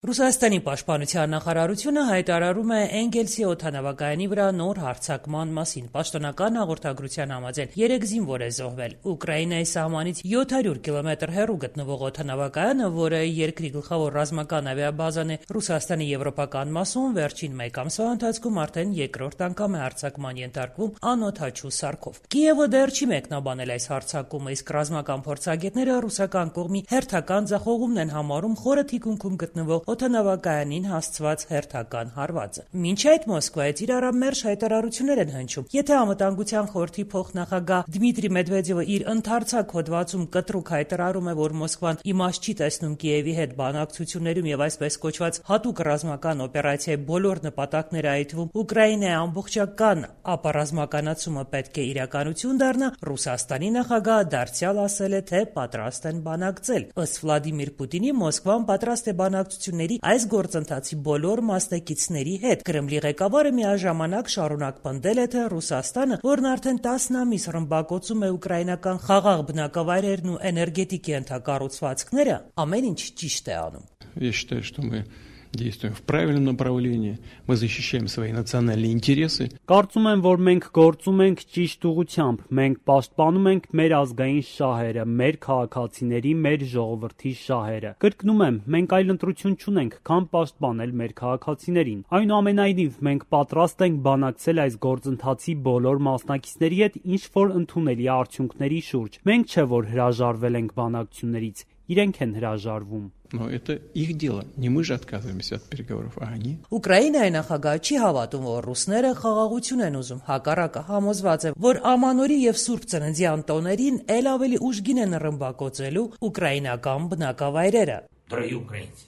Ռուսաստանի պաշտպանության նախարարությունը հայտարարում է Էնգելսի օդանավակայանի վրա նոր հարձակման մասին։ Պաշտոնական հաղորդագրության համաձայն 3 զինվոր է զոհվել։ Ուկրաինայի սահմանից 700 կիլոմետր հեռու գտնվող օդանավակայանը, որը երկրի գլխավոր ռազմական ավիաբազան է Ռուսաստանի եվրոպական մասում, վերջին մեկ ամսվա ընթացքում արդեն երկրորդ անգամ է հարձակման ենթարկվում անօդաչու սարքով։ Կիևը դեռ չի մեկնաբանել այս հարձակումը, իսկ ռազմական փորձագետները ռուսական կողմի հերթական ձախողումն են համարում խորը թիկունքում գտնվող օդանավակայանին հասցված հերթական հարվածը։ Մինչ այդ Մոսկվայից իր առամերժ հայտարարություններ են հնչում։ Եթե Անվտանգության խորհրդի փոխնախագահ Դմիտրի Մեդվեդևը իր ընդարձակ հոդվածում կտրուկ հայտարարում է, որ Մոսկվան իմաստ չի տեսնում Կիևի հետ բանակցություններում եւ այսպես կոչված հատուկ ռազմական օպերացիայի բոլոր նպատակները, այդ թվում Ուկրաինայի ամբողջական ապառազմականացումը պետք է իրականություն դառնա, Ռուսաստանի նախագահը դարձյալ ասել է, թե պատրաստ են բանակցել։ Ըստ Վլադիմիր Պուտինի, Մոսկվան պատրաստ է բանակցությունների այս գործընթացի բոլոր մասնակիցների հետ։ Կրեմլի ղեկավարը միաժամանակ շարունակ պնդել է, թե Ռուսաստանը, որն արդեն 10 ամիս ռմբակոծում է ուկրաինական խաղաղ բնակավայրերն ու էներգետիկ ենթակառուցվածքները, ամեն ինչ ճիշտ է անում։ Я считаю, что мы действуем в правильном направлении, мы защищаем свои национальные интересы. Կարծում եմ, որ մենք գործում ենք ճիշտ ուղղությամբ, մենք պաշտպանում ենք մեր ազգային շահերը, մեր քաղաքացիների, մեր ժողովրդի շահերը։ Կրկնում եմ, մենք այլ ընտրություն չունենք, քան պաշտպանել մեր քաղաքացիներին։ Այնուամենայնիվ, մենք պատրաստ ենք բանակցել այս գործընթացի բոլոր մասնակիցների հետ ինչ որ ընդունելի արդյունքների շուրջ։ Մենք չէ որ հրաժարվել ենք բանակցություններից, իրենք են հրաժարվում։ Но это их дело. Не мы же отказываемся от переговоров, а они. Ուկրաինայի նախագահը չի հավատում, որ ռուսները խաղաղություն են уզում, հակառակը համոզված է, որ Ամանորի եւ Սուրբ Ծննդյան տոներին ել ավելի ուժգին են ռմբակոծելու ուկրաինական бնակավայրերը. Дорогі українці,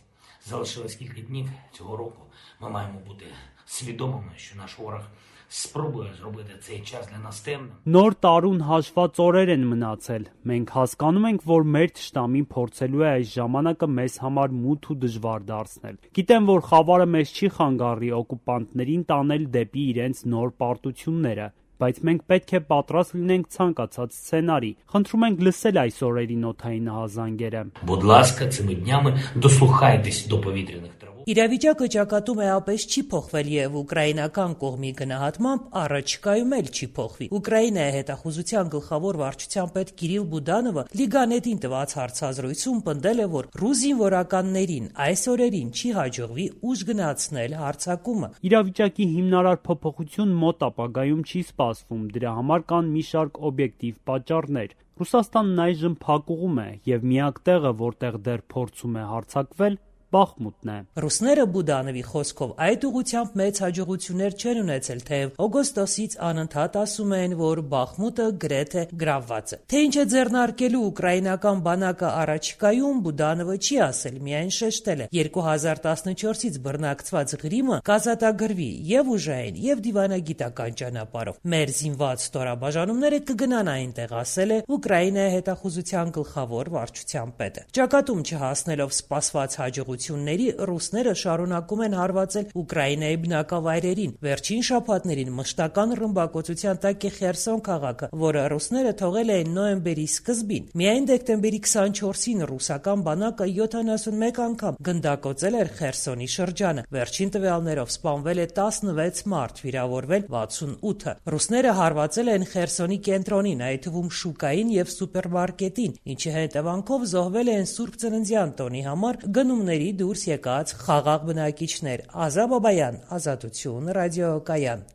залишилось кілька днів цього року. Ми маємо бути свідомими, що наш ворог спробує зробити цей час для нас темним. Նոր տարուն հաշված օրեր են մնացել։ Մենք հասկանում ենք, որ մեր թշնամին փորձելու է այս ժամանակը մեզ համար մութ ու դժվար դարձնել։ Գիտեմ, որ խավարը մեզ չի խանգարի օկուպանտներին տանել դեպի իրենց նոր պարտությունները, բայց մենք պետք է պատրաստ լինենք ցանկացած սցենարի։ Խնդրում ենք լսել այս օրերի նոթային ահազանգերը։ Будь ласка, цими днями дослухайтесь до повітряних тривог. Իրավիճակը ճակատում է ապես չի փոխվել եւ ուկրաինական կողմի գնահատմամբ առաջիկայում էլ չի փոխվի։ Ուկրաինայի հետախուզության գլխավոր վարչության պետ Կիրիլ Բուդանովը Լիգանետին տված հարցազրույցում պնդել է, որ ռուս զինվորականներին այս օրերին չի հաջողվի ուժ գնացնել հարձակումը։ Իրավիճակի հիմնարար փոփոխություն մոտ ապագայում չի սպասվում, դրա համար կան մի շարք օբյեկտիվ պատճառներ։ Ռուսաստանն այժմ փակուղում է եւ միակ տեղը, որտեղ դեռ փորձում է հարձակվել, Բախմուտն է։ Ռուսները Բուդանովի խոսքով այդ ուղղությամբ մեծ հաջողություններ չեն ունեցել, թեև օգոստոսից անընդհատ ասում են, որ Բախմուտը գրեթե գրավված է։ Թե ինչ է ձեռնարկելու ուկրաինական բանակը առաջիկայում, Բուդանովը չի ասել, միայն շեշտել է 2014-ից բռնակցված Ղրիմը կազատագրվի եւ ուժային եւ դիվանագիտական ճանապարհով։ Մեր զինված ստորաբաժանումները կգնան այնտեղ, ասել է Ուկրաինայի հետախուզության գլխավոր վարչության պետը։ Ճակատում չհասնելով սպասված հաջողությունների ռուսները շարունակում են հարվածել Ուկրաինայի բնակավայրերին։ Վերջին շաբաթներին մշտական ռմբակոծության տակ է Խերսոն քաղաքը, որը ռուսները թողել էին նոյեմբերի սկզբին։ Միայն դեկտեմբերի 24-ին ռուսական բանակը 71 անգամ գնդակոծել էր Խերսոնի շրջանը։ Վերջին տվյալներով սպանվել է 16 մարդ, վիրավորվել 68-ը։ Ռուսները հարվածել են Խերսոնի կենտրոնին, այդ թվում շուկային եւ սուպերմարկետին, ինչի հետևանքով զոհվել են Սուրբ Ծննդյան տոնի համար գնումների դուրս եկած խաղաղ բնակիչներ։ Ազա Բաբայան, Ազատություն, ռադիոկայան։